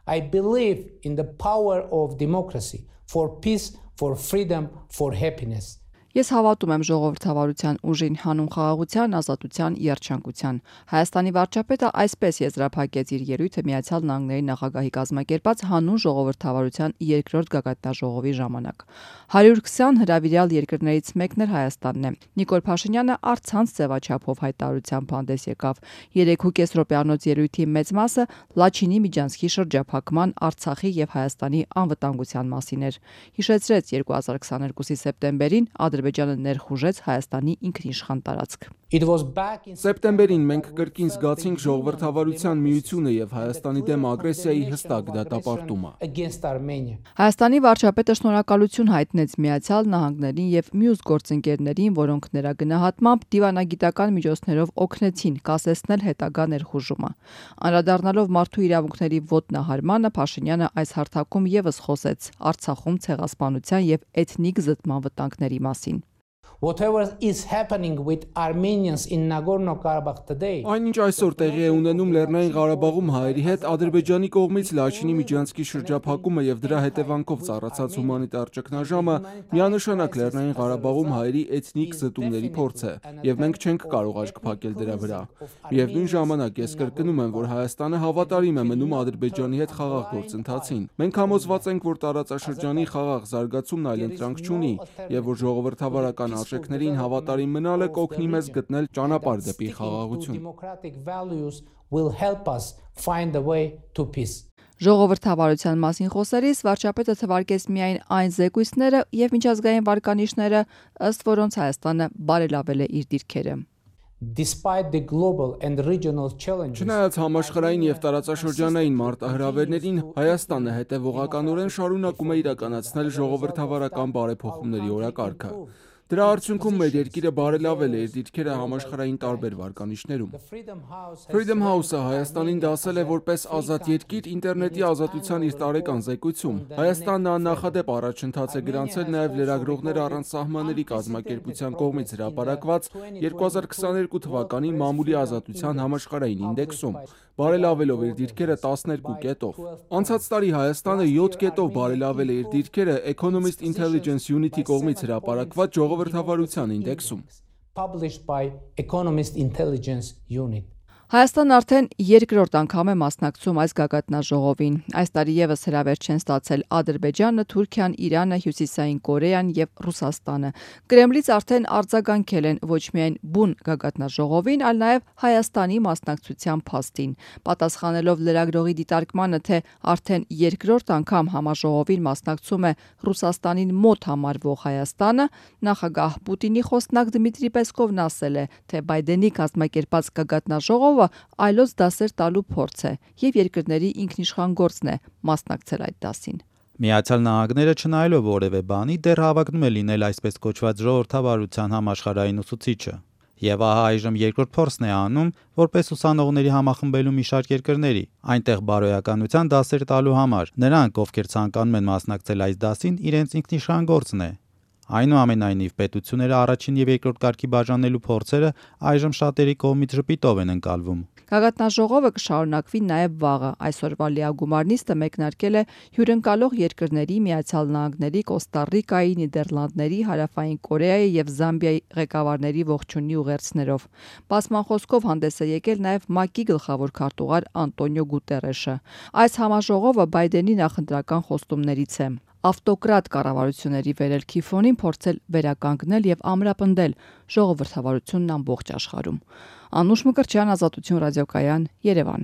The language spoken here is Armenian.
I believe in the power of democracy, for peace, for freedom, for happiness. Ես հավատում եմ ժողովրդավարության ուժին, հանուն խաղաղության, ազատության, երջանկության։ Հայաստանի վարչապետը այսպես եզրափակեց իր ելույթը Միացյալ Նահանգների նախագահի կազմակերպած հանուն ժողովրդավարության երկրորդ գագաթնաժողովի ժամանակ։ 120 հրավիրյալ երկրներից մեկն էր Հայաստանն է։ Նիկոլ Փաշինյանը առցանց ձևաչափով հայտարարությամբ հանդես եկավ։ 3.5 րոպեանոց ելույթի մեծ մասը Լաչինի միջանցքի շրջափակման, Արցախի եւ Հայաստանի անվտանգության մասին էր։ Հիշեցրեց 2022-ի սեպտեմբերին Ադրբեջանը ներխուժեց Հայաստանի ինքնիշխան տարածք։ Սեպտեմբերին մենք կրկին զգացինք ժողովրդավարության միությունը եւ Հայաստանի դեմ ագրեսիայի հստակ դատապարտումը։ Հայաստանի վարչապետը շնորհակալություն հայտնեց Միացյալ Նահանգներին եւ մյուս գործընկերներին, որոնք նրա գնահատմամբ դիվանագիտական միջոցներով օգնեցին կասեցնել հետագա ներխուժումը։ Անդրադառնալով մարդու իրավունքների ոտնահարմանը, Փաշինյանը այս հարթակում եւս խոսեց Արցախում ցեղասպանության եւ էթնիկ զտման վտանգների մասին։ Whatever is happening with Armenians in Nagorno-Karabakh today. Այնինչ այսօր տեղի է ունենում Լեռնային Ղարաբաղում հայերի հետ Ադրբեջանի կողմից Լաչինի միջանցքի շրջափակումը եւ դրա հետևանքով ծառացած հումանիտար ճգնաժամը միանշանակ Լեռնային Ղարաբաղում հայերի էթնիկ զտումների փորձ է եւ մենք չենք կարող աչք փակել դրա վրա։ Միևնույն ժամանակ ես կրկնում եմ, որ Հայաստանը հավատարիմ է մնում Ադրբեջանի հետ խաղաղ գործընթացին։ Մենք համոզված ենք, որ տարածաշրջանի խաղաղ զարգացումն այլընտրանք չունի եւ որ ժողովրդավարական արժեքներին հավատարիմ մնալը կօգնի մեզ գտնել ճանապարհ դեպի խաղաղություն։ Ժողովրդավարության մասին խոսելիս վարչապետը թվարկեց միայն այն զեկույցները եւ միջազգային վարկանիշները, ըստ որոնց Հայաստանը բարելավել է իր դիրքերը։ Չնայած համաշխարհային եւ տարածաշրջանային մարտահրավերներին, Հայաստանը հետևողականորեն շարունակում է իրականացնել ժողովրդավարական բարեփոխումների օրակարգը։ Դրա արդյունքում մեր երկիրը բարելավել է իր դիրքերը համաշխարհային տարբեր վարկանիշներում։ Freedom House-ը Հայաստանին դասել է որպես ազատ երկիր ինտերնետի ազատության իր տարեկան զեկույցում։ Հայաստանն աննախադեպ առաջընթաց է գրանցել նաև լրագրողներ առանց սահմանների կազմակերպության կողմից հրապարակված 2022 թվականի մամուլի ազատության համաշխարհային ինդեքսում, բարելավելով իր դիրքերը 12 կետով։ Անցած տարի Հայաստանը 7 կետով բարելավել է իր դիրքերը Economist Intelligence Unit-ի կողմից հրապարակված ժողովրդավարության ինդեքսում։ Հայաստանն արդեն երկրորդ անգամ է մասնակցում այս գագաթնաժողովին։ Այս տարի եւս հրավեր չեն ստացել Ադրբեջանը, Թուրքիան, Իրանը, Հյուսիսային Կորեան եւ Ռուսաստանը։ Կրեմլից արդեն արձագանքել են ոչ միայն բուն գագաթնաժողովին, այլ նաեւ Հայաստանի մասնակցության փաստին։ Պատասխանելով լրագրողի դիտարկմանը, թե արդեն երկրորդ անգամ համաժողովին մասնակցում է Ռուսաստանին մոտ համարվող Հայաստանը, նախագահ Պուտինի խոսնակ Դմիտրի Պեսկովն ասել է, թե Բայդենի կազմակերպած գագաթնաժողովը այլոց դասեր տալու փորձ է եւ երկրների ինքնիշխան գործն է մասնակցել այդ դասին։ Միացյալ Նահանգները չնայելով որևէ բանի դեռ հավակնում է լինել այսպես կոչված ժողովրդավարության համաշխարհային ուսուցիչը։ Եվ ահա այժմ երկրորդ փորձն է անում, որպես ուսանողների համախմբելու մի շարք երկրների, այնտեղ բարոյականության դասեր տալու համար։ Նրանք, ովքեր ցանկանում են մասնակցել այս դասին, իրենց ինքնիշխան գործն է։ Այնուամենայնիվ պետությունները առաջին եւ երկրորդ կարգի բաժանելու փորձերը այժմ շատերի կողմից ժպիտով են ընկալվում։ Գագաթնաժողովը կշարունակվի նաև վաղը։ Այսօրվա լիագումար նիստը մեկնարկել է հյուրընկալող երկրների Միացյալ Նահանգների, Կոստա Ռիկայի, Նիդերլանդների, Հարավային Կորեայի եւ Զամբիայի ղեկավարների ողջունի ուղերձներով։ Բացման խոսքով հանդես է եկել նաև ՄԱԿ-ի գլխավոր քարտուղար Անտոնիո Գուտերեշը։ Այս համաժողովը Բայդենի նախընտրական խոստումներից է։ Ավտոկրատ կառավարությունների վերելքի ֆոնին փորձել վերականգնել եւ ամրապնդել ժողովրդավարությունն ամբողջ աշխարհում։ Անուշ Մկրտչյան, Ազատություն ռադիոկայան, Երևան։